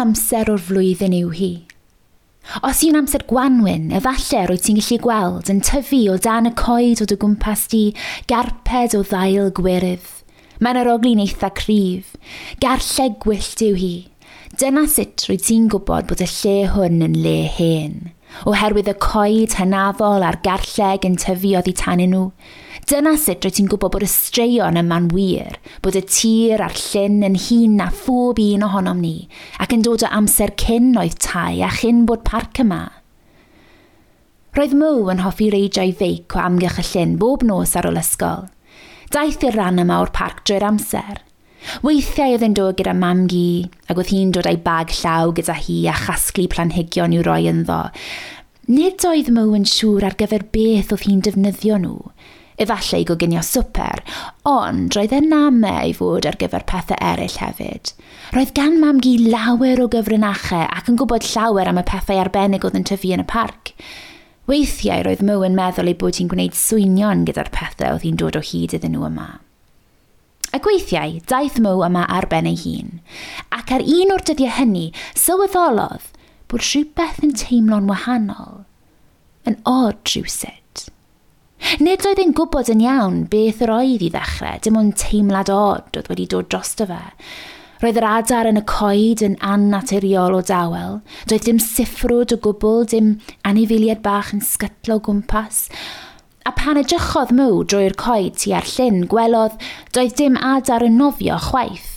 amser o'r flwyddyn yw hi? Os yw'n amser gwanwyn, efallai rwyt ti'n gallu gweld yn tyfu o dan y coed o dy gwmpas di garped o ddail gwyrydd. Mae'n arogli'n eitha cryf. Garlleg gwyllt yw hi. Dyna sut rwyt ti'n gwybod bod y lle hwn yn le hen. Oherwydd y coed hynafol a'r garlleg yn tyfu oddi tanyn nhw. Dyna sut rwyt ti'n gwybod bod y straeon yma'n wir, bod y tir a'r llyn yn hŷn na phob un ohonom ni, ac yn dod o amser cyn oedd tai a chyn bod parc yma. Roedd Mo yn hoffi reidio'i feic o amgylch y llyn bob nos ar ôl ysgol. Daeth i'r rhan yma o'r parc drwy'r amser. Weithiau oedd e'n dod gyda mam-gu, ac oedd hi'n dod â'i bag llaw gyda hi a chasglu planhigion i'w roi ynddo. Nid oedd Mo yn siŵr ar gyfer beth oedd hi'n defnyddio nhw. Efallai i goginio swper, ond roedd e'n ame ei fod ar gyfer pethau eraill hefyd. Roedd gan mam-gu lawer o gyfrinachau ac yn gwybod llawer am y pethau arbennig oedd yn tyfu yn y parc. Weithiau roedd Mo yn meddwl ei bod hi'n gwneud swynion gyda'r pethau oedd hi'n dod o hyd iddyn nhw yma. Ac weithiau, daeth Mo yma ar ben ei hun. Ac ar un o'r dyddiau hynny, sylweddolodd bod rhywbeth yn teimlo'n wahanol, yn od rhywsut. Nid oedd e'n gwybod yn iawn beth yr oedd i ddechrau, dim ond teimlad od oedd wedi dod drosto fe. Roedd yr adar yn y coed yn annaturiol o dawel, doedd dim siffrwd o gwbl, dim anifeiliaid bach yn sgytlo o gwmpas. A pan edrychodd Mo drwy'r coed tua'r llyn, gwelodd doedd dim adar yn nofio chwaith.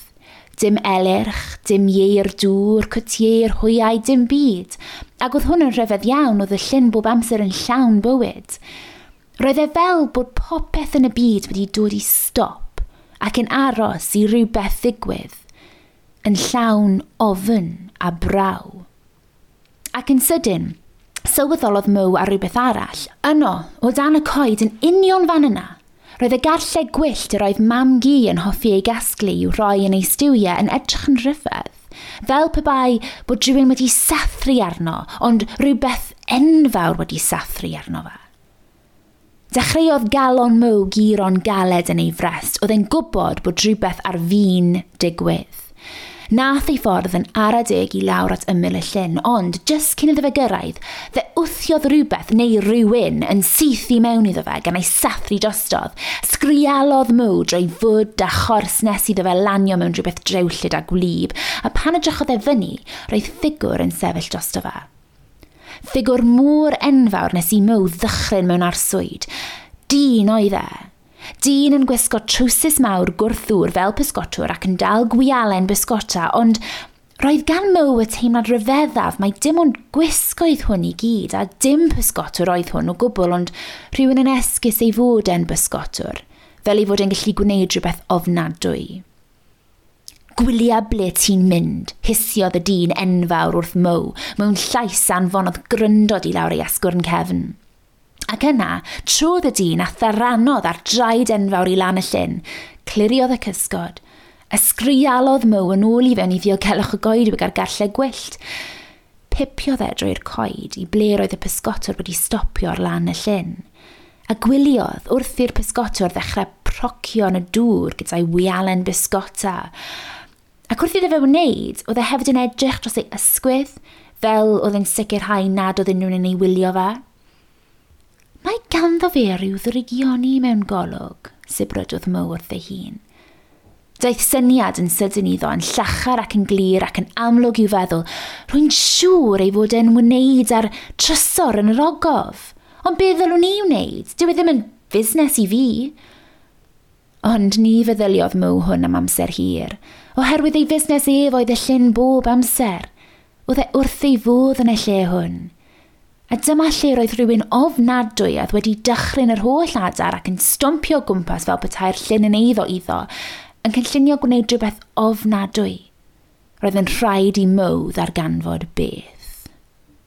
Dim elyrch, dim ieir dŵr, cwtieir, hwyau, dim byd. Ac oedd hwn yn rhyfedd iawn, oedd y llyn bob amser yn llawn bywyd. Roedd e fel bod popeth yn y byd wedi dod i stop ac yn aros i rywbeth ddigwydd, yn llawn ofn a braw. Ac yn sydyn, sylweddolodd Mo ar rywbeth arall. Yno, o dan y coed yn union fan yna, roedd y garlleg gwyllt yr oedd mam-gu yn hoffi ei gasglu i'w rhoi yn ei stiwiau yn edrych yn rhyfedd. Fel pe bai bod rhywun wedi sathru arno, ond rhywbeth enfawr wedi sathru arno fe. Dechreuodd galon Mo guro'n galed yn ei frest, oedd e'n gwybod bod rhywbeth ar fin digwydd. Nath ei ffordd yn ara deg i lawr at ymyl y llyn, ond jyst cyn iddo fe gyrraedd, fe wthiodd rhywbeth neu rhywun yn syth i mewn iddo fe gan ei sathru drostodd. Sgrialodd Mo drwy fwd a chors nes iddo fe lanio mewn rhywbeth drewllyd a gwlyb, a pan edrychodd e fyny, roedd ffigwr yn sefyll drosto fe. Ffigwr mor enfawr nes i Mo ddychryn mewn arswyd. Dyn oedd e. Dyn yn gwisgo trowsus mawr gwrthddŵr fel pysgotwr ac yn dal gwialen bysgota, ond roedd gan Mo y teimlad rhyfeddaf mai dim ond gwisg oedd hwn i gyd, a dim pysgotwr oedd hwn o gwbl, ond rhywun yn esgus ei fod e'n bysgotwr, fel ei fod e'n gallu gwneud rhywbeth ofnadwy. Gwylia ble ti'n mynd, hisiodd y dyn enfawr wrth Mo, mewn llais anfonodd gryndod i lawr ei asgwrn cefn. Ac yna, trodd y dyn a tharanodd ar draed enfawr i lan y llyn, cliriodd y cysgod, ysgrialodd Mo yn ôl i fewn i ddiogelwch y goedwig a'r garlleg gwyllt. Pipiodd e drwy'r coed i ble roedd y pysgotwr wedi stopio ar lan y llyn, a gwyliodd wrth i'r pysgotwr ddechrau procio yn y dŵr gyda'i wialen bysgota. Ac wrth iddo fe wneud, oedd e hefyd yn edrych dros ei ysgwydd, fel oedd e'n sicrhau nad oedd unrhyw un yn ei wylio fe. Mae ganddo fe ryw ddrygioni mewn golwg, sibrydodd Mo wrth ei hun. Daeth syniad yn sydyn iddo, yn llachar ac yn glir ac yn amlwg i'w feddwl, rwy'n siŵr ei fod e'n wneud â'r trysor yn yr ogof. Ond be ddylwn i wneud? Dyw e ddim yn fusnes i fi. Ond ni feddyliodd Mo hwn am amser hir, oherwydd ei fusnes ef oedd y llyn bob amser. Oedd e wrth ei fodd yn y lle hwn. A dyma lle roedd rhywun ofnadwy oedd wedi dychryn yr holl adar ac yn stompio o gwmpas fel petai'r llyn yn eiddo iddo, yn cynllunio gwneud rhywbeth ofnadwy. Roedd yn rhaid i Mo ddarganfod beth.